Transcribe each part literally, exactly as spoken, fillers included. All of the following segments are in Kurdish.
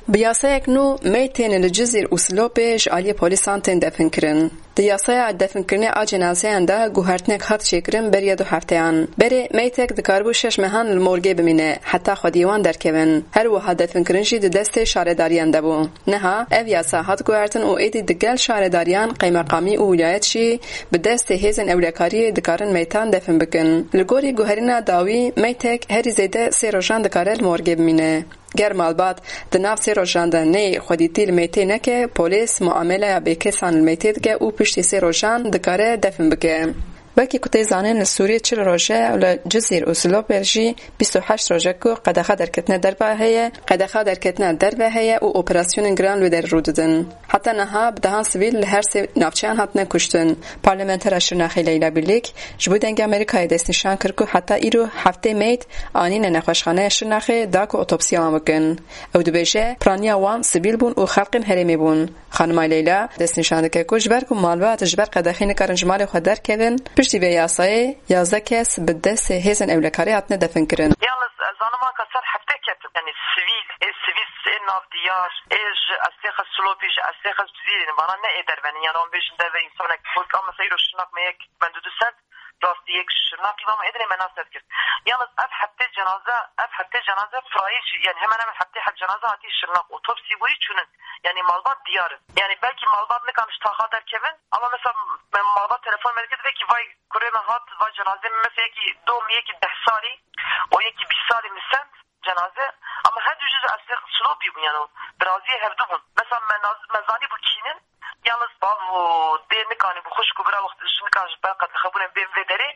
Bi yasayek nû meytên li Cizîr û Silopê ji aliyê polîsan tên definkirin. Di yasaya definkirinê a cenazeyan de guhertinek hat çêkirin beriya du hefteyan. Berê meytek dikaribû şeş mehan li morgê bimîne, heta xwediyê wan derkevin. Her wiha definkirin jî di destê şaredariyan de bû. Niha ev yasa hat guhertin û êdî digel şaredariyan, qeymeqamî û wîlayet jî bi destê hêzên ewlekariyê dikarin meytan defin bikin. Li gorî guherîna dawî, meytek herî zêde sê rojan dikare li morgê bimîne. Ger malbat di nav sê rojan de neyê xwedîtî li meytê neke, polîs muameleya bêkesan li meytê dike û piştî sê rojan dikare defin bike. Wekî ku tê zanîn, li Sûriyê çil roj e û li Cizîr û Silopê jî bîst û heşt roj e ku qedexa derketina derve heye, qedexa derketina derve heye û operasyonên giran li wê derê rû didin. Heta niha bi dehan sivîl li her sê navçeyan hatine kuştin. Parlamentera Şirnexê Leyla Bilîk ji bo Dengê Amerîkayê destnîşan kir ku heta îro heftê meyt anîne nexweşxaneya Şirnexê da ku otopsiya wan bikin. Ew dibêje, piraniya wan sivîl bûn û xelkên herêmê bûn. Xanima Leyla destnîşan dike ku ji ber ku malbat ji ber qedexê nikarin ji malê xwe derkevin, piştî vê yasayê yazdeh kes bi destê hêzên ewlekariyê hatine definkirin. Yalnız ez zanim anka ser heftê ketin. Yani sivîl, ê sivîl, ê nav diyar, ê ji Estêxe Silopî, ji Estêxe Cizîrê, vana ne ê derve ne. Yani wan bêjin derve, însanek xurt, ama mesela îro Şirnak me yek, me du du sed, rastî yek Şirnakî, ama êdinê me nas nedikir. Yalnız ev heftê cenaze, ev heftê cenaze firayî jî, yani hemen hemen heftê heb cenaze hatî Şirnak, otopsî bûyî çûnin. Yani malbat diyar in. Yani belkî malbat nikan ji taxa derkevin, ama mesela me malbat telefon me dikir, divê ki vay kurê me hat, vay cenazê me, mesela yekî dom, yekî deh salî, o yekî bîst salî min send cenaze, ama her du jî ji Estêxe Silopî bûn, yani diraziyê hevdu bûn. Mesela me naz-, me zanî bû kînin, yalnız bav û dê nikanî bû, xwişk û bira wextê ji nikan ji ber qedexebûnê bên vê derê,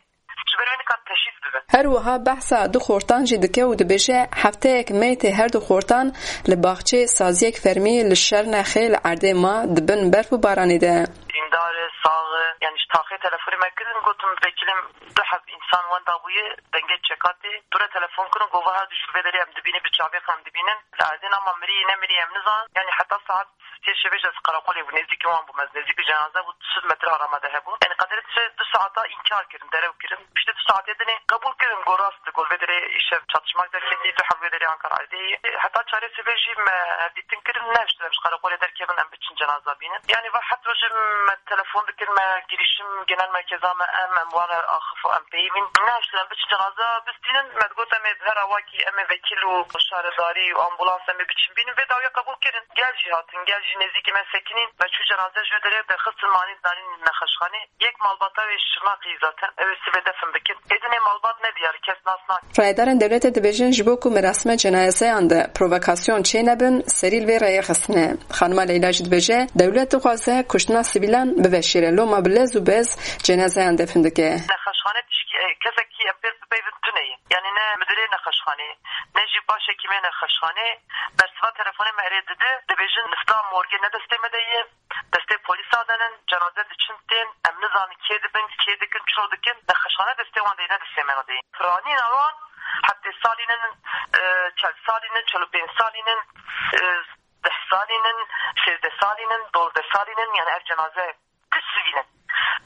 ji ber wê nikan teşhîs bibin. Her wiha behsa du xortan jî dike û dibêje, hefteyek meytê her du xortan li baxçeyê saziyek fermî li Şirnexê li erdê ma di bin berf û baranê de. Dîndar e, sax e, yani ji taxê telefonê me kirin, gotim, vekilim, du heb însan wenda bûye, dengê çeka tê. Dûre telefon kirin, got, va her du jî li vê derê em dibînin, bi çavê xwe em dibînin. Li erdê ne, ma mirî ne mirî em nizanin. Yani heta saet sê şevê jî ez qereqolê bû, nêzîkî wan bû, ez nêzîkî cenaze bû, du sed metre ara me de hebû. Yani qederê du saeta înkar kirin, derew kirin. Piştî du saetê dinê qebûl kirin, got rast e, got vê derê îşev çatışmak derketî, du heb vê derê anka erdê ye. Heta çarê sibê jî me hevdîtin kirin, nehiştin em ji qereqolê derkevin, em biçin cenaza bînin. Yani va het rojê me telefon dikin, me girişim genel merkeza me, em, em wan re axif û em peyivîn. Nehiştin em biçin cenaza bistînin, me digot em ê her awakî, em ê vekil û şaredarî û ambulans em ê biçin bînin. Vê dawiyê qebûl kirin. Gel jî hatin, gel jî nêzîkî me sekinîn. Me çû cenaze ji wê derê derxistin, manî danîn nexweşxanê. Yek malbata wê Şirnexê zaten, ew ê sibê defin bikin. Êdinê malbat nediyar, kes nas nakin. Rayedarên dewletê dibêjin, ji bo ku merasime cenazeyan de provokasyon çênebin, serî li vê rêyê xistine. Xanima Leyla jî dibêje, dewlet dixwaze kuştina sivîlan biveşêre, loma bi lez û bez cenazeyan defin dike. Nexweşxane tişkî, e, kesekî em pê bi peyvin tune ye. Yani ne midirê nexweşxanê, ne jî başhekîmê nexweşxanê bersiva telefonê me erê dide, dibêjin nifta morgê ne destê me de ye. Destê polîsa de nin, cenaze diçin tên, em nizanin kê dibin, kê dikin, çilo dikin, nexweşxane destê wan de ye, ne destê me de ye. Piranîna wan heftê salî nin, e, çel salî nin, çel û pênc salî nin, e, deh salî nin, sêzdeh salî nin, dozdeh salî nin, yani ev cenaze tu sivîl in.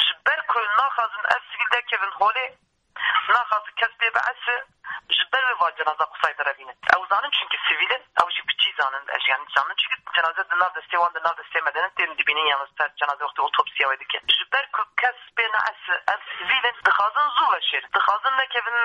Ji ber ku naxwazin ev sivîl derkevin holê, naxwazin kes pê biese, ji ber wê van cenaza qisay derevînin. Ew zanin çunkî sivîl in, ew jî bi cî zanin, ez jî yani zanin çunkî cenaze di nav destê wan, di nav destê me de ne, tên dibînin, yalnız ser cenaze wextê otopsiya wê dikin. Ji ber ku kes pê neese, ev sivîl in, dixwazin zû veşêrin. Dixwazin nekevin,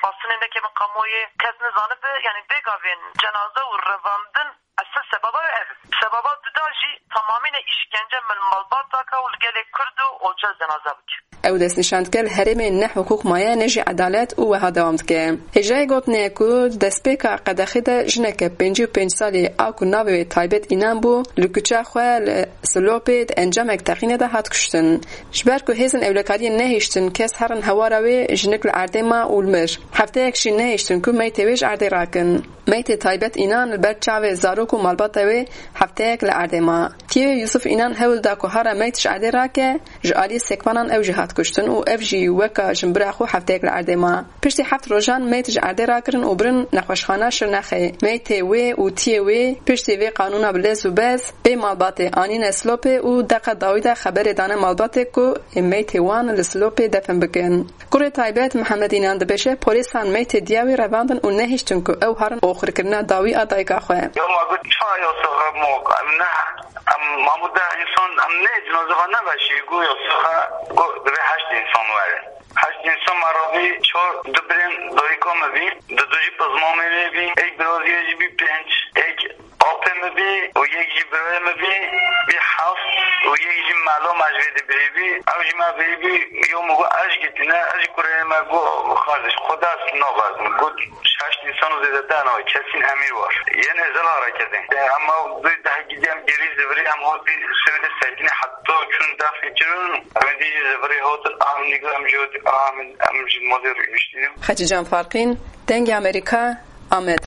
bastinê nekevin kamuoyê, kes nizanibe, yani vê gavên cenaze û revandin Esas sebaba wê ev e. Sebaba duda jî tamamîne îşkence min malbat dake û li gelê Kurd û olca cenaza bike. Ew destnîşan dike, li herêmê ne hiqûq maye ne jî edalet û wiha dewam dike. Hêjayê gotinê ye ku di destpêka qedexê de jineke pêncî û pênc salî a ku navê wê Taybet Înan bû, li kuça xwe li Silopê di encamek teqînê de hat kuştin. Ji ber ku hêzên ewlekariyê nehiştin kes herin hewara wê, jinik li erdê ma û li mir. Hefteyek jî nehiştin ku meytê wê ji erdê rakin. Meytê Taybet Înan li ber çavê zarok û malbata wê hefteyek li erdê ma. Kî Yusuf Înan hewl da ku hara meyt ji erdê rake, ji aliyê sekvanan ew jî hat kuştin û ev jî weka jinbira xwe hefteyek li erdê ma. Piştî heft rojan meyt ji erdê rakirin û birin nexweşxana Şirnexê. Meytê wê û tiyê wê piştî vê qanûna bi lez û bez bê malbatê anîne Silopê û deqa dawî de xeberê dane malbatê ku ê meytê wan li Silopê defin bikin. Kurê taybet Mihemed Înan dibêje, polîsan meytê diya wî revandin û nehiştin ku ew herin oxirkirina dawî a dayika xwe. Ya ma got, ça ya soxe mo, em ne, em mamu de insan, em ne cinaze xwe neveşî, go ya soxe, go divê heşt insan were. Heşt insan me rabî, çar du birên dayika me bî, du du jî pizmamê wê bî, êk biraziyê jî bî pênc, êk apê me bî û yek jî birayê me bî, bî heft û yek jî melo me ji vê dibirî bî. Ew jî me birî bî, yo min got, ez ji gitîne, ez ji kurê me got, xardiş, xwe dest nabezim. Got, şeş insan û zêdete nayê, kesîn emîr war. Yên êzel hareketin. Em ew bi deh gidî em gêrî zivirî, em hatî sivîlê sekinî heta çûn defê kirin, em dî jî zivirî hatin, em nîgar em jî hatin, em, em ji malê rûniştîn. Xecîcan Farqîn, Dengê Amerîka, Amed.